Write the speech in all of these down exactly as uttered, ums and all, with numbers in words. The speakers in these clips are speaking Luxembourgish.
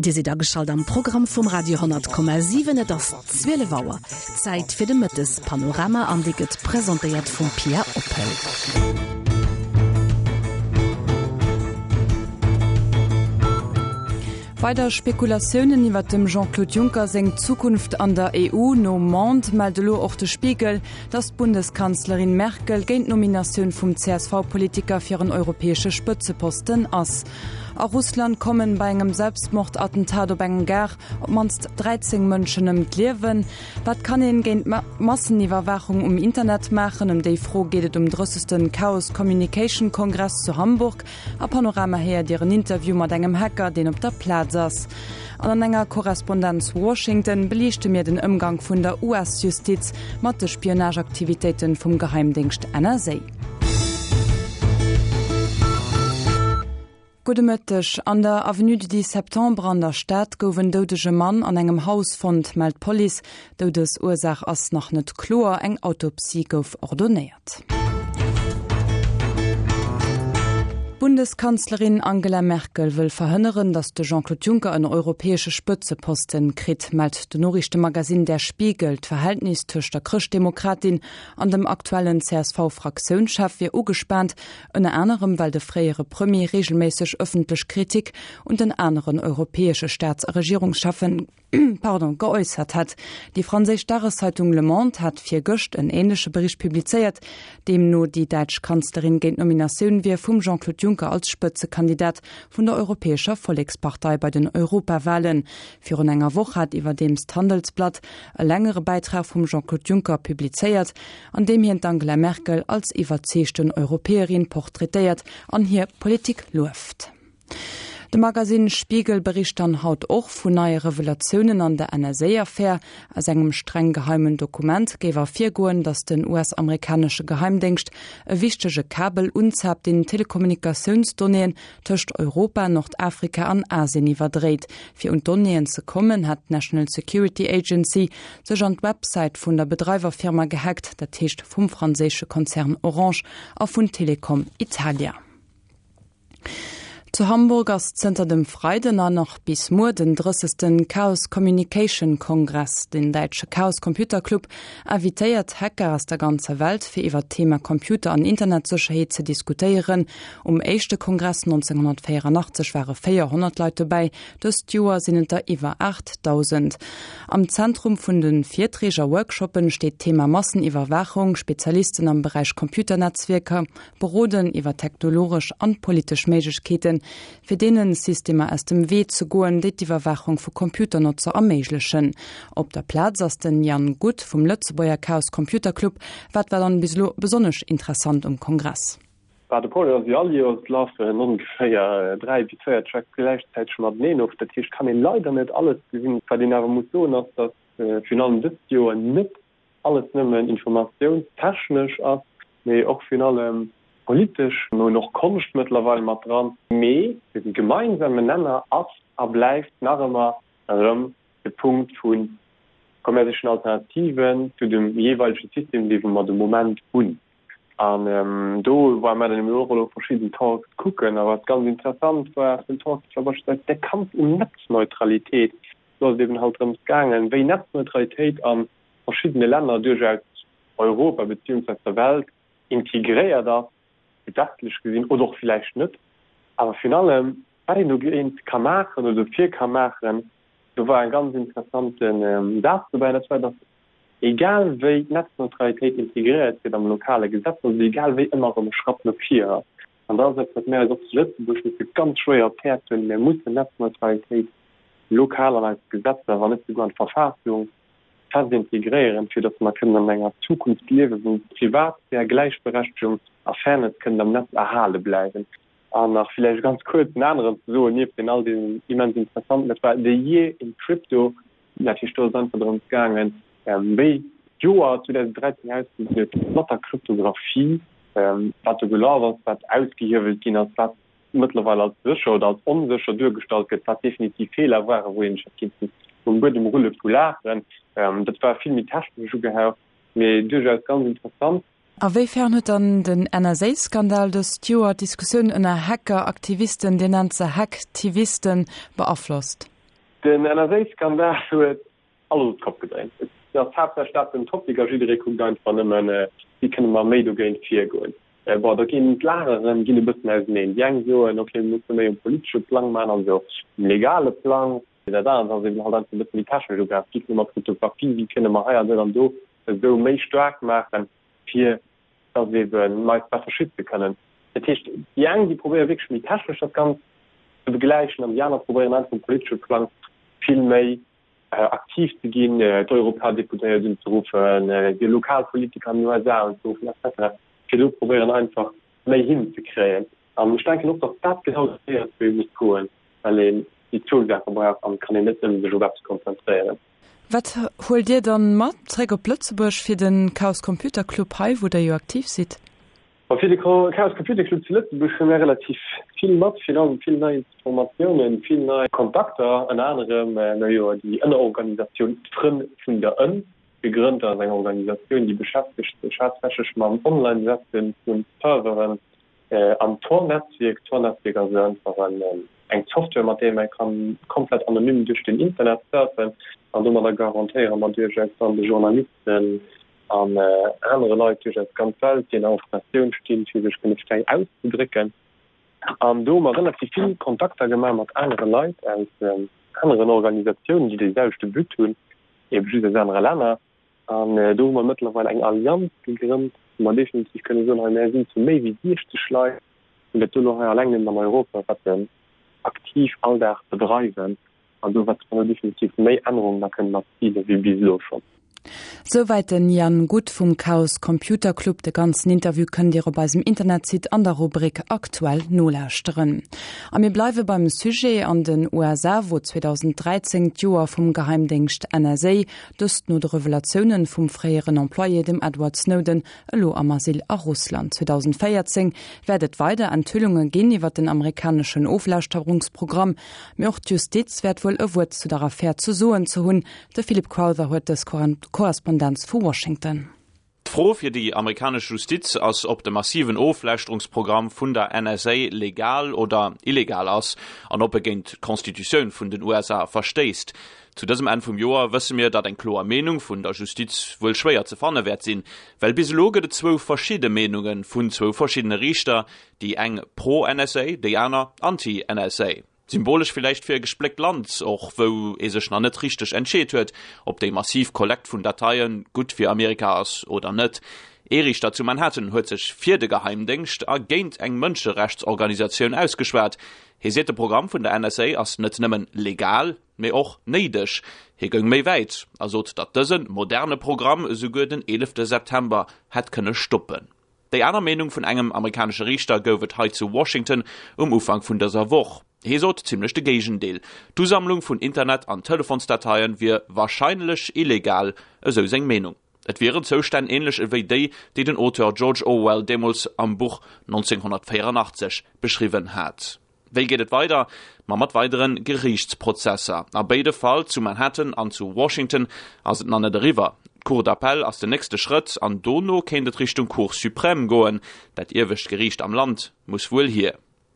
Dir sidd ageschalt am Programm vum Radio honnert Komma siwen. Et ass zwielef Auer, Zäit fir de Mëttespanorama an dee gëtt presentéiert vum Pia Oppel. Weider Spekulatiounen iwwer dem Jean-Claude Juncker seng Zukunft an der E U. Nom Monde mellt elo och de Spiegel, datt d'Bundeskanzlerin Merkel géint d'Nominatioun vum C S V-Politiker fir en europäesche Spëtzeposten ass. A Russland kommen bei engem Selbstmordattentat op engem Gare op d'mannst dräizéng Mënschen ëm d'Liewen. Wat kann een géint Masseniwwerwaachung um Internet maachen? Ëm déi Fro geet et um drëssegsten Chaos Communication Kongress zu Hamburg. A Panorama héiert Dir en Interview mat engem Hacker, deen op der Plaz ass. An an enger Korrespondenz Washington beliichte mir den Ëmgang vun der U S-Justiz mat de Spionageaktivitéiten vum Geheimdéngscht N S A. Gudde Mëtteg. An der Avenue du dix Septembre an der Stad gouf en doudege Mann an engem Haus fonnt, mellt d'Police. D'Doudesursaach ass nach net kloer, eng Autopsie gouf ordonéiert. D'Bundeskanzlerin Angela Merkel wëll verhënneren, datt de Jean-Claude Juncker en europäesche Spëtzeposten kritt, mellt de Noriichtemagasinn Der Spiegel. D'Verhältnis tëscht der Chrëschtdemokratin an dem aktuellen C S V-Fraktiounschef wier ugespaant, ënner anerem well de fréiere Premier reegelméisseg ëffentlech Kritik un den aneren europäesche Staats a Regierungscheffen pardon, geäussert hat. Déi franséisch Dageszeitung Le Monde hat virgëscht en änleche Bericht publizéiert, deemno déi däitsch Kanzlerin géint d'Nominatioun wier vum Jean-Claude Juncker als Spëtzekandidat vun der Europäescher Vollekspartei bei den Europawahlen. Virun enger Woch hat iwwerdeems d'Handelsblatt e längere Bäitrag vum Jean-Claude Juncker publizéiert, an deem hien d'Angela Merkel als iwwerzeegten Europäerin portraitéiert an hir Politik lueft. De Magasinn Spiegel bericht dann haut och vun neie Revelatiounen an der N S A-Affär. Aus engem streng geheimen Dokument géif ervirgoen, datt den U S-amerikanesche Geheimdéngscht e wichtege Kabel unzaapt, deen Telekommunikatiounsdonnéeën tëscht Europa, Nordafrika an Asien iwwerdréit. Fir un d'Donnéeën ze kommen, hat d'National Security Agency sech an d'Websäit vun der Bedreiwerfirma gehackt, dat heescht vum franséische Konzern Orange a vun Telecom Italia. Zu Hamburg ass zënter dem Freiden an nach bis muer den drëssegsten Chaos Communication Kongress. Den däitsche Chaos Computer Club invitéiert Hacker aus der ganzer Welt, fir iwwer d'Thema Computer an Internetsécherheet ze diskutéieren. Um éischte Kongress nonzénghonnertvéieranachtzeg ware véierhonnert Leit dobäi, dëst Joer sinn et der iwwer aachtdausend. Am Zentrum vun de Virträg a Workshoppen steet d'Thema Masseniwwerwaachung. Spezialisten am Beräich Computernetzwierker beroden iwwer technologesch an politesch Méiglechkeeten, fir deene Systemer aus dem Wee ze goen, déi d'Iwwerwaachung vu Computernotzer erméiglechen. Op der Plaz ass den Jan Guth vum Lëtzebuerger Chaos Computer Club. Wat war dann bis elo besonnesch interessant um Kongress? Bah, de Problem ass, wéi all Joers lafen ongeféier dräi bis véier Tracks gläichzäiteg mateneen of. Dat heescht, kann een leider net alles gesinn. Wat een awer muss soen ass, datt virun allem dëst Joer net alles nëmmen informatiounstechnesch ass, mee och virun allem politesch. Mir hunn och Konscht mëttlerweil mat dran. Mee de gemeinsamen Nenner ass a bleift nach ëmmer erëm de Punkt vu kommerziellen Alternativen zu dem jeeweilege System, dee mer de Moment hunn. An do ware mer dann och elo verschidden Talks kucken. A wat ganz interessant war den Talk, war beispillsweis de Kampf um Netzneutralitéit. Do ass et eben halt drëms gaangen, wéi Netzneutralitéit a verschiddene Länner duerchaus Europa beziehungsweise der Welt integréiert ass, gesetzlech gesinn oder och villäicht net. Awer virun allem, wat een dogéint ka maachen oder dofir ka maachen, do war e ganz interessanten Saz dobäi, dat war, datt egal wéi d'Netzneutralitéit integréiert gëtt am lokale Gesetz, also egal wéi, ëmmer erëm e Schratt no vir ass. An dat ass eppes, wat mir eis och zu Lëtzebuerg musse ganz schwéier op d'Häerz huelen. Mir mussen Netzneutralitéit lokal an eis Gesetzer, wann net souguer an d'Verfassung fest integréieren, fir datt mer kënnen an enger Zukunft liewen, wou Privatsphär, Gläichberechtegung a Fairness kënnen am Netz erhale bleiwen. An nach villäicht ganz kuerz en aneren ze soen, nieft den all deenen immens interessanten, dat war The Year in Crypto. Natierlech do ass et einfach drëms gaangen, wéi d'Joer zweedausenddräizéng ausgesinn huet mat der Kryptographie, wat do gelaf ass, wat ausgehiewelt ginn ass, wat mëttlerweil als sécher oder als onsécher duergestallt gëtt, wat definitiv Feeler waren, wou een sech hätt kinnten um Buedem rulle vu Laachen. Dat war vill méi technesch ugehaucht, mee duerchaus ganz interessant. A wéi fern huet dann den N S A-Skandal dëst Joer d'Diskussioun ënner Hacker-Aktivisten, Dir nennt se Hacktivisten, beaflosst? Den N S A-Skandal huet alles op d'Kopp gedréint. Et ass haaptsächlech dat den Topic a jidderee kuckt einfach nëmmen, wéi kënne mer méi dogéint virgoen. Bon, do ginn d'Lageren ginn e bëssen auseneen. Déi eng soen, okay, mir musse méi um politesche Plang maachen, also um legale Plang. Dat anert ass eben halt einfach e bësse méi technesch ugaangen, wéi kënne mer Kryptographie, wéi kënne mer hei an do an do esou méi staark maachen, fir dass eben mer eis besser schütze kënnen. Dat heescht, déi eng, déi probéiere wierklech méi technesch dat Ganzt ze begläichen an déi aner probéieren einfach um politesche Plang vill méi aktiv ze ginn, d'Europadeputéiert unzeruffen, déi lokal Politiker an den U S A unzeruffen et cetera fir do probéieren einfach méi hinzekréien. An ech denken och, datt dat genau de Wee ass, wou ee muss goen, well een déi zwou Saache brauch an et kann een net nëmme sech op eppes konzentréieren. Wat huelt Dir dann mat zréck op Lëtzebuerg fir den Chaos Computer Club hei, wou Der jo aktiv sidd? Ma fir de Chaos Computer Club zu Lëtzebuerg hu mir relativ vill mat, virun allem vill nei Informatiounen, vill nei Kontakter, ënner anerem hu jo déi Ënnerorganisatioun D'Frënn vun der Ënn gegrënnt. Dat ass eng Organisatioun, déi beschäftegt sech haaptsächlech mam Online-Setze vu Serveren am Tor-Netzwierk. Tor-Netzwierk ass einfach eng Software, mat där ee kann komplett anonym duerch den Internet surfen an domadder garantéiere mer duerchaus dann de Journalisten an anere Leit duerch eis ganz Welt, déi an der Informatioun stinn, fir sech kënne fräi auszedrécken. An do hu mer relativ vill Kontakter gemaach mat anere Leit aus aneren Organisatiounen, déi dee selwechte But hunn, ebe just aus anere Länner. An do hu mer mëttlerweil eng Allianz gegrënnt, wou mer definitiv kënne soen, hei mär sinn zu méi wéi siechzeg Leit, déi dat do elo hei alleng nëmmen an Europa wat aktiv all Dag bedreiwen an do wäerte mer definitiv méi Ännerungen da kënnen erzilen, wéi bis elo schonn. Souwäit den Yann Guth vum Chaos Computer Club. De ganzen Interview kënnt Dir op eisem Internetsite an der Rubrik Aktuell nolauschteren. A mir bleiwe beim Sujet an den U S A, wou zweedausend dräizéng d'Joer vum Geheimdéngscht N S A, dëst no de Revelatiounen vum fréieren Employé, dem Edward Snowden, elo am Asyl a Russland. zweedausendvéierzéng wäert et weider Enthüllunge ginn iwwer den amerikaneschen Oflauschterungsprogramm. Mee och d'Justiz wäert wuel e Wuert zu der Affär ze soen ze hunn. De Philip Crowther huet dës Korrespondenz vu Washington. D'Fro fir déi amerikanesch Justiz ass, ob de massiven Oflauschterungsprogramm vun der N S A legal oder illegal ass an ob e géint d'Constitutioun vun den U S A verstéisst. Zu dësem Enn vum Joer wësse mir, datt eng kloer Meenung vun der Justiz wuel schwéier ze fanne wäert sinn, well bis elo gëtt et zwou verschidde Meenunge vun zwou verschiddene Riichter, déi eng pro-N S A, déi aner anti-N S A. Symbolesch villäicht fir e gespléckt Land, och wou ee sech nach net richteg entscheet huet, ob déi massiv Kollekt vun Dateie gutt fir Amerika ass oder net. Ee Riichter zu Manhattan huet sech fir de Geheimdéngscht a géint eng Mënscherechtsorganisatioun ausgeschwat. Hie seet, de Programm vun der N S A ass net nëmmen legal, mee och néideg. Hie goung méi wäit a sot, datt dëse moderne Programm esouguer den eelefte September hätt kënne stoppen. Déi aner Meenung vun engem amerikanesche Riichter gouf et hei zu Washington um Ufank vun dëser Woch. Hie sot zimmlech de Géigendeel. D'Usammlung vun Internet an Telefonsdateien wier warscheinlech illegal, esou seng Meenung. Et wieren Zoustänn änlech ewéi déi, déi den Auteur George Orwell deemools am Buch nonzénghonnertvéieranachtzeg beschriwwen hat. Wéi geet et weider? Ma mat weidere Geriichtsprozesser. A béide Fall, zu Manhattan an zu Washington, ass et nach net eriwwer. D'Cour d'appel ass den nächste Schrëtt an dono kéint et Richtung Cour suprême goen. Dat iewescht Geriicht am Land muss wuel hier.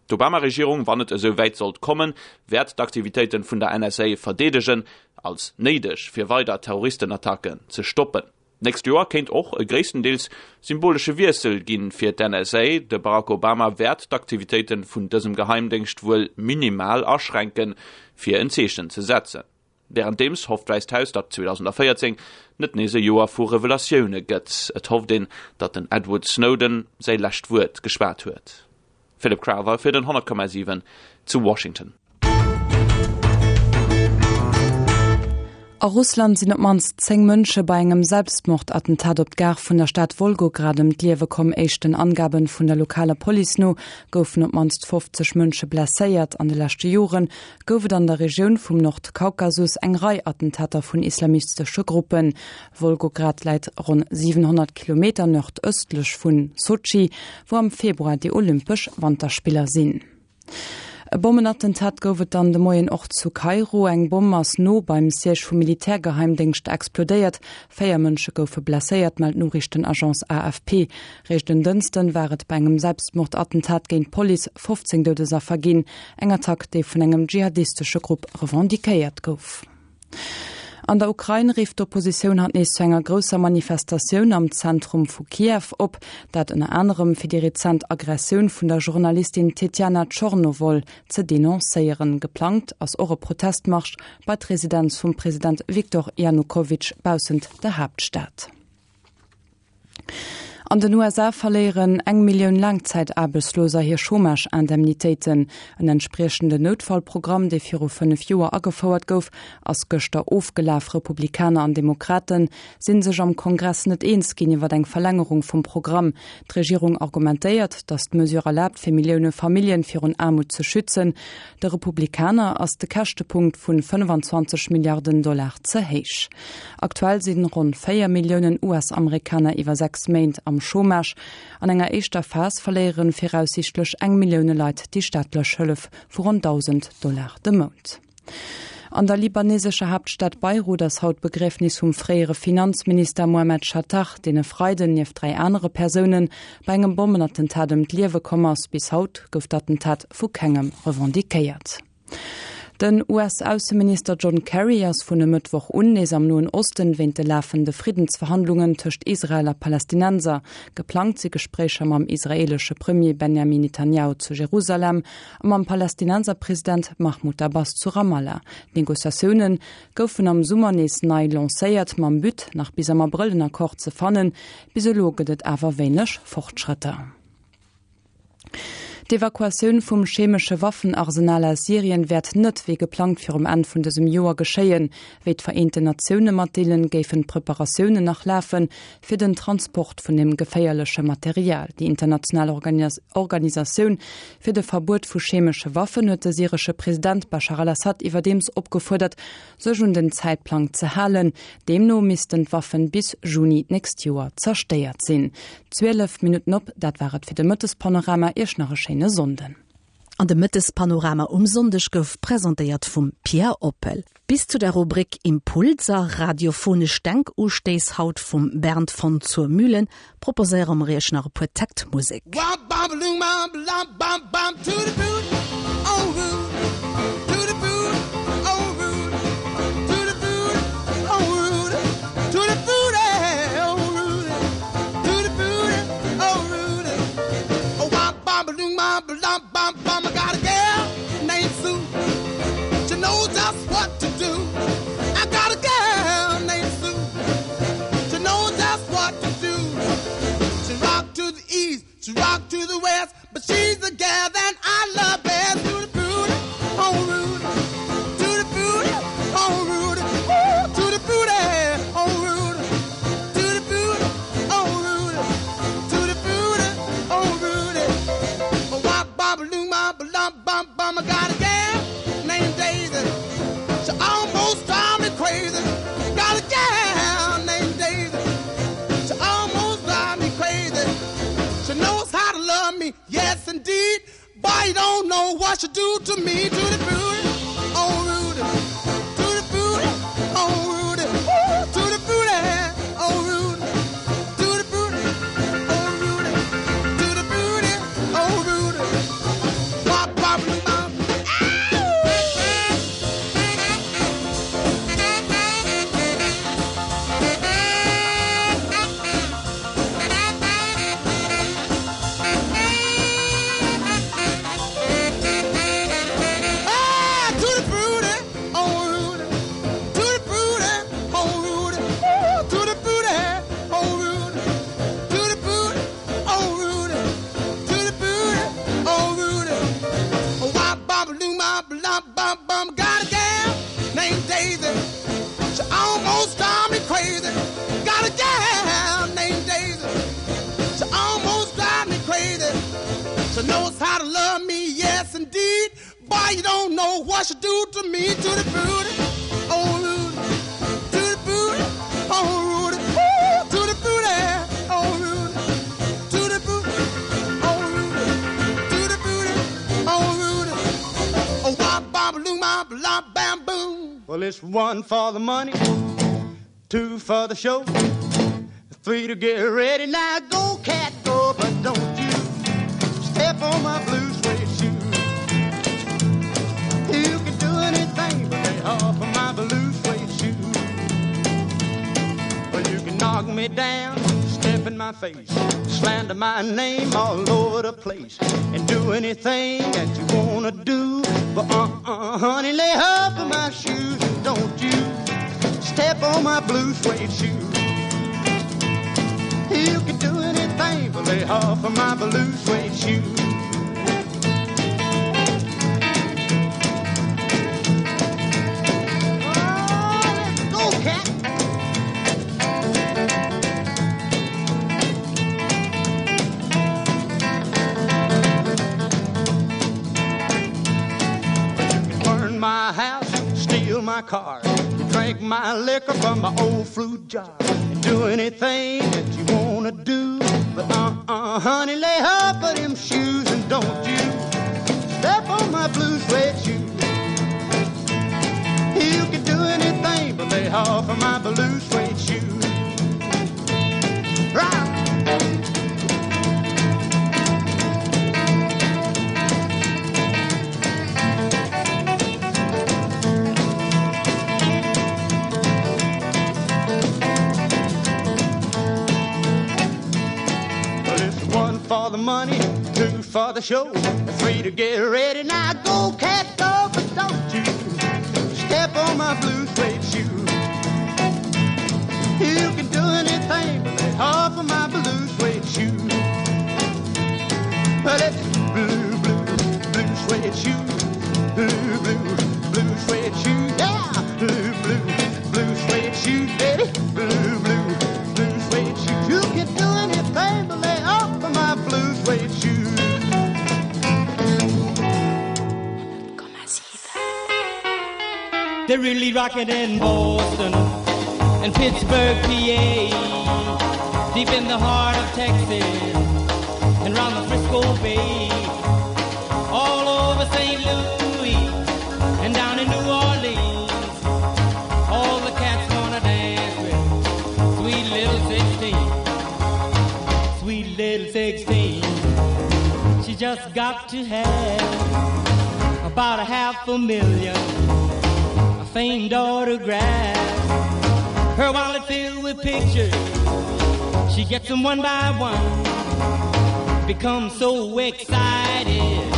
D'Obama-Regierung, wann et esou wäit sollt kommen, wäert d'Aktivitéite vun der N S A verdeedegen, als néideg fir weider Terroristenattacken ze stoppen. D'nächst Joer kéint och e gréisstendeels symbolesche Wiessel ginn fir d'N S A. De Barack Obama wäert d'Aktivitéite vun dësem Geheimdéngscht wuel minimal aschränken, fir en Zeechen ze setzen. Wärenddeems hofft d'Wäisst Haus, datt zweedausendvéierzéng net nees e Joer vu Revelatioune gëtt. Et hofft een, datt den Edward Snowden säi lescht Wuert geschwat huet. Philip Crowther fir den honnert Komma siwen zu Washington. A Russland sinn op d'mannst zéng Mënsche bei engem Selbstmordattentat op d'Gare vun der Stad Wolgograd ëm d'Liewe komm. Éischten Angabe vun der lokaler Police no goufen op d'mannst fofzeg Mënsche blesséiert. An de leschte Jore gouf et an der Regioun vum Nordkaukasus eng Rei Attentater vun islamistesche Gruppen. Wolgograd läit ronn siwenhonnert Kilometer nordëstlech vun Sotschi, wou am Februar déi Olympesch Wanterspiller sinn. E Bommenattentat gouf et dann de Moien och zu Kairo. Eng Bomm ass no beim Siège vum Militärgeheimdéngscht explodéiert. Véier Mënsche goufe blesséiert, mellt d'Noriichtenagence A F P. Réischt en Dënschden war et bei engem Selbstmordattentat géint d'Police fofzéng Doudesaffer ginn. Eng Attack, déi vun engem dschihadistesche Grupp revendiquéiert gouf. An der Ukrain rifft d'Oppositioun haut nees zu enger grousser Manifestatioun am Zentrum vu Kiew op, dat ënner anerem fir déi rezent Aggressioun vun der Journalistin Tetjana Tschornowol ze denoncéieren. Geplangt ass och e Protestmarsch bei d'Residenz vum President Viktor Janukowitsch baussent der Haaptstad. An den U S A verléieren eng Millioun Laangzäitaarbechtsloser hir Chômage-Indemnitéiten. En entspriechenden Noutfallprogramm, dee viru fënnef Joer agefouert gouf, ass gëschter ofgelaf. Republikaner an Demokrate si sech am Kongress net eens ginn iwwer eng Verlängerung vum Programm. D'Regierung argumentéiert, datt d'Mesure erlaabt, fir Millioune Famillje virun Aarmut ze schützen. De Republikaner ass de Käschtepunkt vun fënnefenzwanzeg Milliarden Dollar ze héich. Aktuell sinn ronn véier Milliounen U S-Amerikaner iwwer sechs Méint am Chômage. An enger éischter Phas verléiere viraussiichtlech eng Millioun Leit déi staatlech Hëllef vu ronn dausend Dollar de Mount. An der libanesescher Haaptstad Beirut ass haut d'Begriefnis vum fréiere Finanzminister Mohammed Chatah, deen e Freiden nieft dräi anere Persoune bei engem Bommenattentat ëm d'Liewe komm ass. Bis haut gouf d'Attentat vu kengem revendiquéiert. Den U S-Ausseminister John Kerry ass vun e Mëttwoch un nees am Noen Osten wéint de lafende Friddensverhandlungen tëscht Israel a Palästinenser. Geplangt si Gespréicher mam israeelesche Premier Benjamin Netanyahu zu Jerusalem a mam Palästinenserpresident Mahmoud Abbas zu Ramallah. D'Negociatioune goufen am Summer nees nei lancéiert mam But, nach bis am Abrëll en Accord ze fannen. Bis elo gëtt et awer wéineg Fortschrëtter. D'Evakuatioun vum chemesche Waffenarsenal aus Syrien wäert net wéi geplangt virum Enn vun dësem Joer geschéien. Wéi d'Vereenten Natioune matdeelen, géifen d'Preparatiounen nach lafen fir den Transport vun dem geféierleche Material. Déi international Organisatioun fir de Verbuet vu chemesche Waffen huet de syresche President Bashar al-Assad iwwerdeems opgefuerdert, sech un den Zäitplang ze halen. Deemno missten d'Waffen bis Juni d'nächst Joer zerstéiert sinn. Zwielef Minutten op, dat war et fir de Mëttespanorama. Iech nach e schéine Sonnden. An de Mëttespanorama um Sonndeg gouf presentéiert vum Pierre Oppel. Bis zu der Rubrik Impulser, radiophonesch Denkustéiss haut vum Bernd von zur Mühlen, proposéiere mer iech nach e puer Täkt Musek. Bam, bam, bam, bam, bam, bam, to the boot, oh, root, to the boot, oh, root, to the boot, oh, root, to the boot, oh, root, to the boot, oh, root. Oh, bam, bam, bam, bam, bam, bam, I got a girl named Sue. She knows just what to do. I got a girl named Sue. She knows just what to do. She rock to the east, she rock to the west, but she's the gal that I love best. To the booty, oh Rudy, to the booty, oh Rudy, ooh, to the booty, oh Rudy, to the booty, oh Rudy, to the booty, oh Rudy. Oh, wop, bop, loom, bop, lump, bum, bum. I got a gal named Daisy. She almost drive me crazy. Got a gal named Daisy. She almost drive me crazy. She knows how to love me, yes indeed. Boy, you don't know what she do to me. To the booty, oh Rudy, to the booty, oh Rudy, ooh, to the booty, oh Rudy, to the booty, oh Rudy, to the booty, oh Rudy. Bop, bop, bop. Ah, to the booty, oh Rudy, to the booty, oh Rudy, ooh, to the booty, oh Rudy, to the booty, oh Rudy, to the booty, oh Rudy. Oh, wop, bop, loom, bop, lump, bum, bum. Got a gal named Daisy. She almost drive me crazy. Got a gal named Daisy. She almost drive me crazy. She knows how to love me, yes indeed. Boy, you don't know what she do to me. To the booty, oh Rudy, to the booty, oh Rudy, ooh, to the booty, oh Rudy, to the booty, oh Rudy, to the booty, oh Rudy. bam, blam, bam, boom. Well, it's one for the money, two for the show, three to get ready. Now go, cat, go, but don't you step on my blue suede shoe. You can do anything but lay off of my blue suede shoe. Well, you can knock me down, step in my face, slander my name all over the place, and do anything that you wanna do. But uh-uh, honey, lay off of my shoes, and don't you step on my blue suede shoe. You can do anything but lay off of my blue suede shoe. Oh, let's go, cat. You can burn my house, steal my car, drink my liquor from my old fruit jar, and do anything that you wanna do. But uh-uh, honey, lay off of them shoes and don't you step on my blue suede shoe. You can do anything but lay off of my blue suede shoe. Right. Well, it's one for the money, two for the show, three to get ready. Now go, cat, go, but don't you step on my blue suede shoe. You can do anything but lay off of my blue suede shoe. Well, it's blue, blue, blue suede shoe. Blue, blue, blue suede shoe. Yeah, blue, blue, blue suede shoe, baby. Blue, blue, blue suede shoe. You can do anything but lay off of my blue suede shoe. They're really rocking in Boston and Pittsburgh, P A, deep in the heart of Texas and round the Frisco Bay, all over Saint Louis and down in New Orleans. All the cats wanna dance with sweet little sixteen, sweet little sixteen. She just got to have about a half a million, a famed autograph. Her wallet filled with pictures, she gets them one by one. Becomes so excited,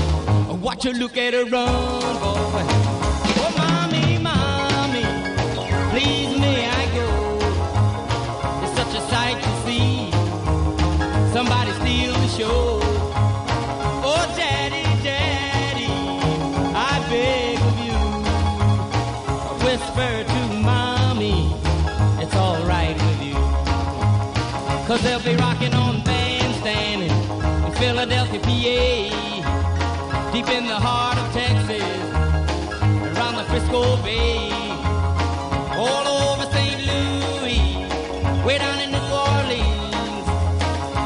watch her look at her run, boy. Oh, mommy, mommy, please may I go? It's such a sight to see somebody steal the show. Oh, daddy, daddy, I beg of you, whisper to mommy, it's all right with you. 'Cause they'll be rocking on bandstand in Philadelphia, P A, deep in the heart of Texas, around the Frisco Bay, all over Saint Louis, way down in New Orleans.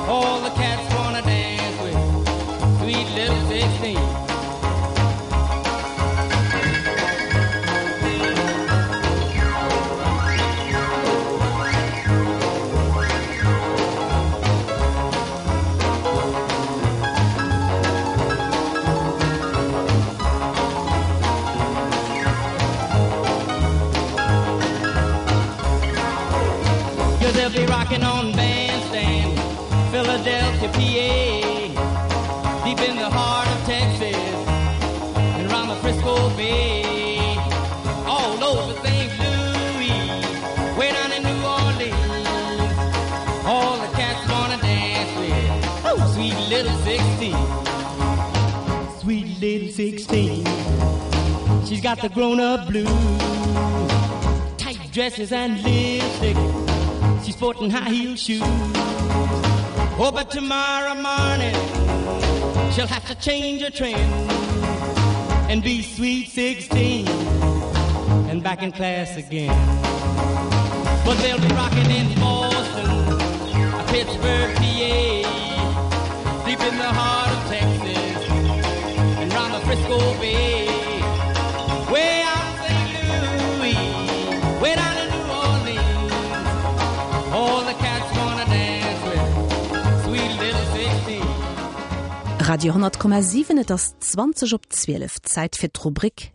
All the cats wanna dance with sweet little sixteen. They'll be rocking on bandstand, Philadelphia, P A, deep in the heart of Texas, and round the Frisco Bay, all over Saint Louis, way down in New Orleans. All the cats wanna dance with, oh, sweet little sixteen, sweet little sixteen. She's got the grown-up blues, tight dresses and lipstick. She's sporting high heel shoes. Oh, but tomorrow morning she'll have to change her trend and be sweet sixteen and back in class again. But they'll be rocking in Boston, Pittsburgh, P A, deep in the heart of Texas and round the Frisco Bay. Way Radio hundert Komma siwen, et ass zwanzeg op zwielef, Zäit fir d'Rubrik